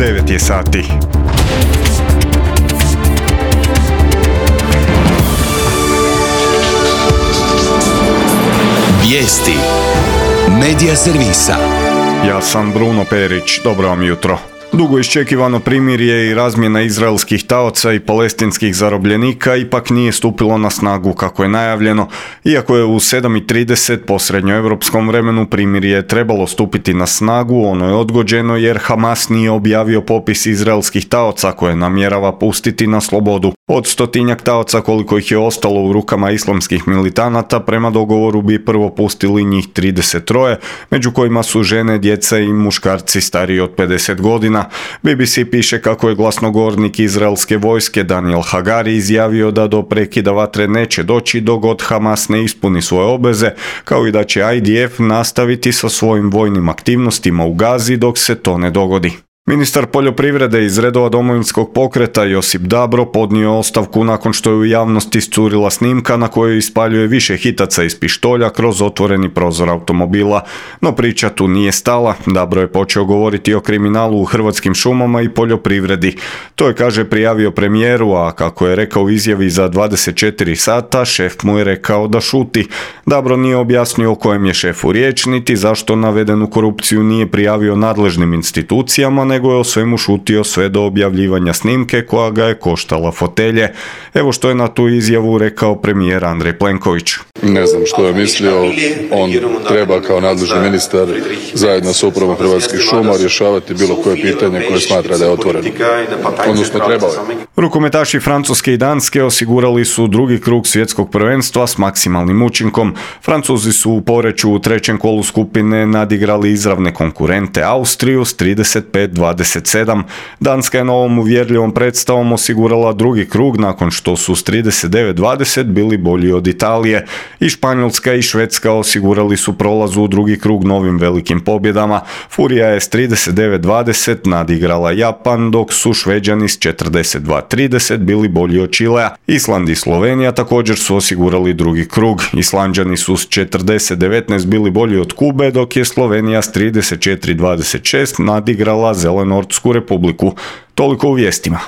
9 je sati. Vijesti Medija servisa. Ja sam Bruno Perić, dobro vam jutro. Dugo iščekivano primirje i razmjena izraelskih taoca i palestinskih zarobljenika ipak nije stupilo na snagu kako je najavljeno, iako je u 7:30 po srednjoevropskom vremenu primirje trebalo stupiti na snagu, ono je odgođeno jer Hamas nije objavio popis izraelskih taoca koje namjerava pustiti na slobodu. Od 100-tinjak taoca koliko ih je ostalo u rukama islamskih militanata, prema dogovoru bi prvo pustili njih 33, među kojima su žene, djeca i muškarci stariji od 50 godina. BBC piše kako je glasnogovornik izraelske vojske Daniel Hagari izjavio da do prekida vatre neće doći dok god Hamas ne ispuni svoje obveze, kao i da će IDF nastaviti sa svojim vojnim aktivnostima u Gazi dok se to ne dogodi. Ministar poljoprivrede iz redova Domovinskog pokreta Josip Dabro podnio ostavku nakon što je u javnosti iscurila snimka na kojoj ispaljuje više hitaca iz pištolja kroz otvoreni prozor automobila. No priča tu nije stala. Dabro je počeo govoriti o kriminalu u Hrvatskim šumama i poljoprivredi. To je, kaže, prijavio premijeru, a kako je rekao u izjavi za 24 sata, šef mu je rekao da šuti. Dabro nije objasnio o kojem je šefu riječ, niti zašto navedenu korupciju nije prijavio nadležnim institucijama, nego je o svemu šutio sve do objavljivanja snimke koja ga je koštala fotelje. Evo što je na tu izjavu rekao premijer Andrej Plenković. Ne znam što je mislio, on treba kao nadležni ministar zajedno s upravom Hrvatskih šuma rješavati bilo koje pitanje koje smatra da je otvoreno. Odnosno trebao je. Rukometaši Francuske i Danske osigurali su drugi krug svjetskog prvenstva s maksimalnim učinkom. Francuzi su u Poreču u trećem kolu skupine nadigrali izravne konkurente Austriju s 35-27. Danska je novom uvjerljivom predstavom osigurala drugi krug nakon što su s 39-20 bili bolji od Italije. I Španjolska i Švedska osigurali su prolaz u drugi krug novim velikim pobjedama. Furija je s 39-20 nadigrala Japan, dok su Šveđani s 42-30 bili bolji od Čilea. Island i Slovenija također su osigurali drugi krug. Islanđani su s 40-19 bili bolji od Kube, dok je Slovenija s 34-26 nadigrala Zelenortsku republiku. Toliko u vijestima.